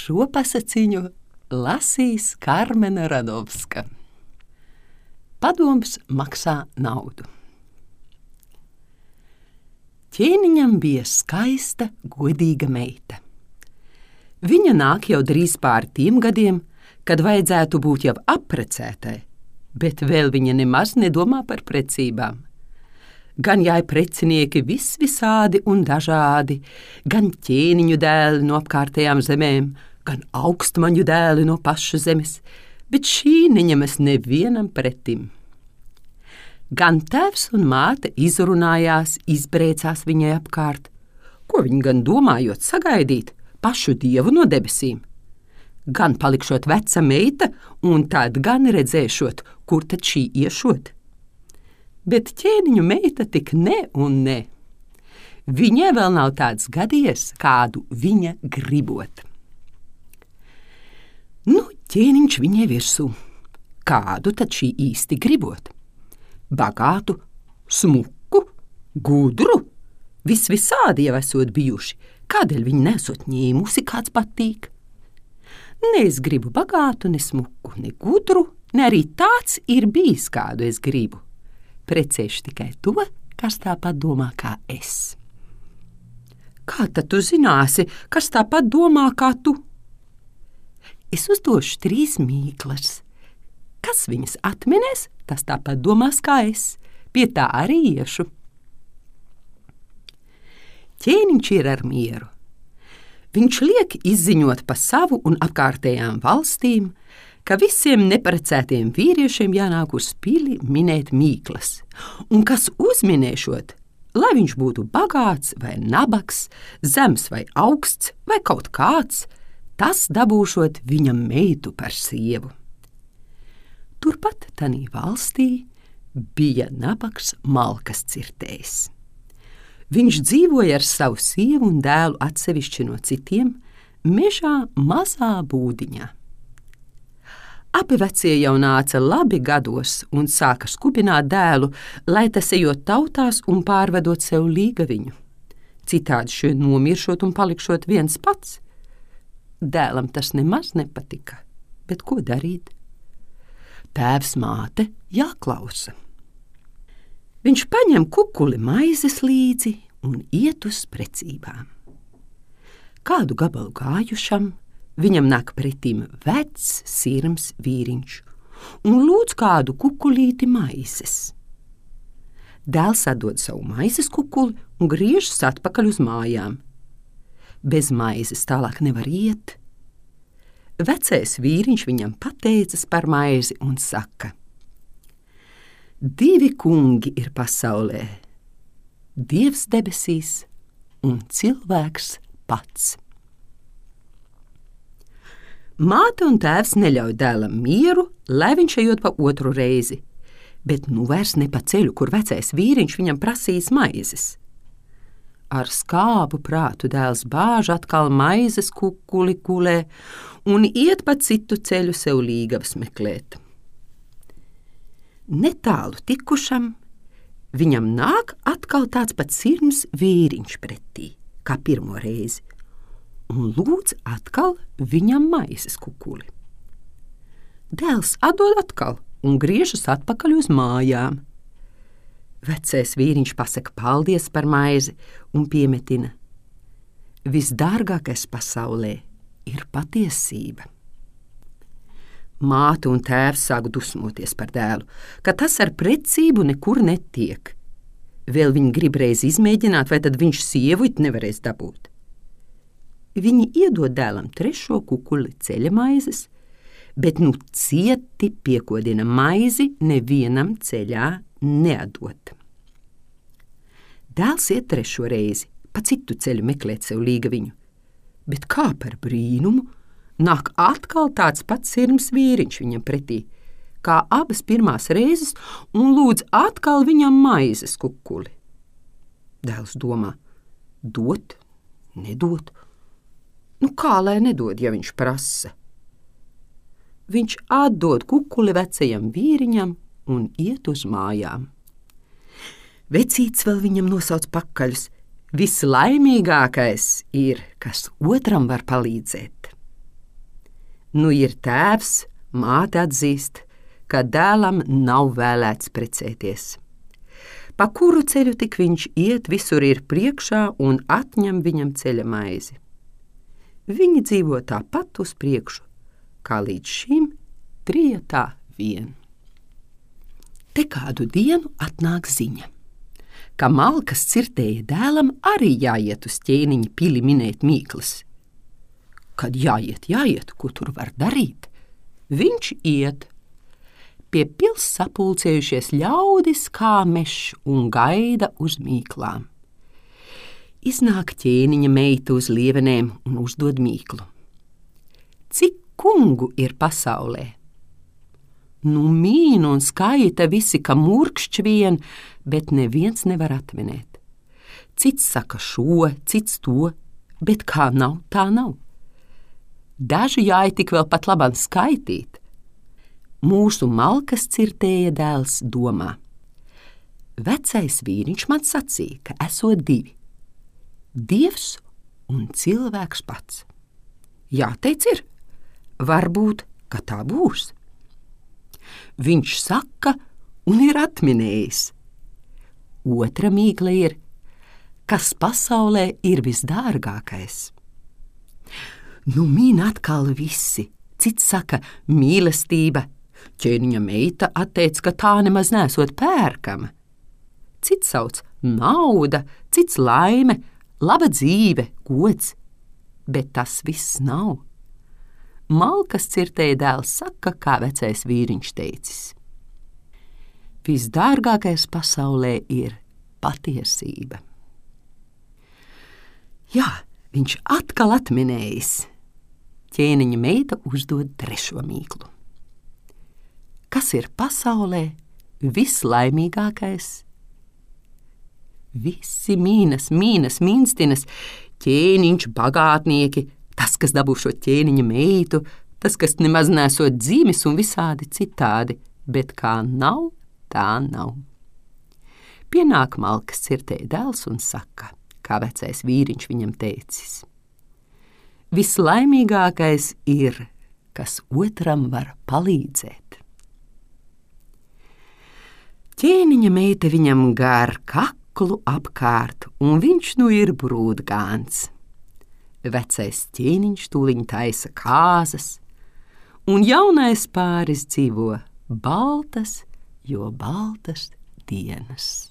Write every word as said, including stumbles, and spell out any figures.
Šo pasaciņu lasīs Karmena Radovska. Padoms maksā naudu. Ķēniņam bija skaista, godīga meita. Viņa nāk jau drīz pār tiem gadiem, kad vajadzētu būt jau apprecētai, bet vēl viņa nemaz nedomā par precībām. Gan jāj precinieki vis visādi un dažādi, gan ķēniņu dēli no apkārtējām zemēm, gan augstmaņu dēli no paša zemes, bet šī neņemas nevienam pretim. Gan tēvs un māte izrunājās, izbrēcās viņai apkārt, ko viņi gan domājot sagaidīt pašu dievu no debesīm. Gan palikšot veca meita, un tad gan redzēšot, kur tad šī iešot. Bet ķēniņu meita tik ne un ne. Viņai vēl nav tāds gadījies, kādu viņa gribot. Nu, ķēniņš viņai virsū. Kādu tad šī īsti gribot? Bagātu, smuku, gudru, vis visādi jau esot bijuši. Kādēļ viņi nesot ņēmusi, kāds patīk? Ne es gribu bagātu, ne smuku, ne gudru, ne arī tāds ir bijis, kādu es gribu. Precēšu tikai to, kas tāpat domā kā es. Kā tad tu zināsi, kas tāpat domā kā tu? Es uzdošu trīs mīklas. Kas viņas atminēs, tas tāpat domās kā es. Pie tā arī iešu. Ķēniņš ir ar mieru. Viņš liek izziņot pa savu un apkārtējām valstīm, ka visiem neprecētiem vīriešiem jānāk uz pili minēt mīklas, un kas uzminēšot, lai viņš būtu bagāts vai nabaks, zems vai augsts vai kaut kāds, tas dabūšot viņam meitu par sievu. Turpat tanī valstī bija nabaks malkas cirtējs. Viņš dzīvoja ar savu sievu un dēlu atsevišķi no citiem, mežā mazā būdiņā. Abi vecie jau nāca labi gados un sāka skupināt dēlu, lai tas ejot tautās un pārvedot sev līgaviņu. Citādi šie nomiršot un palikšot viens pats. Dēlam tas nemaz nepatika, bet ko darīt? Tēvs māte jāklausa. Viņš paņem kukuli maizes līdzi un iet uz precībām. Kādu gabalu gājušam, viņam nāk pretīm vecs, sirms vīriņš un lūdz kādu kukulīti maizes. Dēls atdod savu maizes kukuli un griežas atpakaļ uz mājām. Bez maizes tālāk nevar iet. Vecais vīriņš viņam pateicas par maizi un saka: divi kungi ir pasaulē, Dievs debesīs un cilvēks pats. Māte un tēvs neļauj dēlam mieru, lai viņš ejot pa otru reizi, bet nu vairs ne pa ceļu, kur vecais vīriņš viņam prasīs maizes. Ar skābu prātu dēls bāž atkal maizes kukuli kulē un iet pa citu ceļu sev līgavas meklēt. Netālu tikušam, viņam nāk atkal tāds pats sirms vīriņš pretī, kā pirmo reizi, un lūdz atkal viņam maizes kukuli. Dēls atdod atkal un griežas atpakaļ uz mājām. Vecais vīriņš pasaka paldies par maizi un piemetina: visdārgākais pasaulē ir patiesība. Māte un tēvs sāk dusmoties par dēlu, ka tas ar precību nekur netiek. Vēl viņi grib reiz izmēģināt, vai tad viņš sievu it nevarēs dabūt. Viņi iedod dēlam trešo kukuli ceļa maizes, bet nu cieti piekodina maizi nevienam ceļā neatdot. Dēls iet trešo reizi, pa citu ceļu meklēt sev līgaviņu, bet kā par brīnumu, nāk atkal tāds pats sirms vīriņš viņam pretī, kā abas pirmās reizes, un lūdz atkal viņam maizes kukuli. Dēls domā: dot, nedot. Nu kā lai nedod, ja viņš prasa? Viņš atdod kukuli vecajam vīriņam un iet uz mājām. Vecīts vēl viņam nosauc pakaļus: vislaimīgākais ir, kas otram var palīdzēt. Nu ir tēvs, māte atzīst, ka dēlam nav vēlēts precēties. Pa kuru ceļu tik viņš iet, visur ir priekšā un atņem viņam ceļa maizi. Viņi dzīvo tāpat uz priekšu, kā līdz šim trijatā vien. Te kādu dienu atnāk ziņa, ka Malkas cirtēja dēlam arī jāiet uz ķēniņa pili minēt mīklas. Kad jāiet, jāiet, ko tur var darīt? Viņš iet. Pie pils sapulcējušies ļaudis kā mešs un gaida uz mīklām. Iznāk ķēniņa meita uz lievenēm un uzdod mīklu. Cik kungu ir pasaulē? Nu mīna un skaita visi, ka murkšķi vien, bet neviens nevar atminēt. Cits saka šo, cits to, bet kā nav, tā nav. Daži jāja tik vēl pat labam skaitīt. Mūsu Malkas cirtēja dēls domā. Vecais vīriņš man sacīja, ka esot divi. Dievs un cilvēks pats. Jāteic ir, varbūt, ka tā būs. Viņš saka un ir atminējis. Otra mīkla ir, kas pasaulē ir visdārgākais. Nu min atkal visi, cits saka mīlestība. Ķēniņa meita atteica, ka tā nemaz nesot pērkama. Cits sauc nauda, cits laime, laba dzīve, gods, bet tas viss nav. Malkas cirtēja dēls saka, kā vecais vīriņš teicis. Visdārgākais pasaulē ir patiesība. Jā, viņš atkal atminējis. Ķēniņa meita uzdod trešo mīklu. Kas ir pasaulē vislaimīgākais? Visi mīnas, mīnas, minstinas, ķēniņš, bagātnieki, tas, kas dabū šo ķēniņa meitu, tas, kas nemaz nesot dzīmis un visādi citādi, bet kā nav, tā nav. Pienāk Malkas cirtēja dēls un saka, kā vecais vīriņš viņam teicis. Vislaimīgākais ir, kas otram var palīdzēt. Ķēniņa meita viņam gar kaklu apkārt, un viņš nu ir brūdgāns. Vecais ķēniņš tūliņ taisa kāzas, un jaunais pāris dzīvo baltas, jo baltas dienas.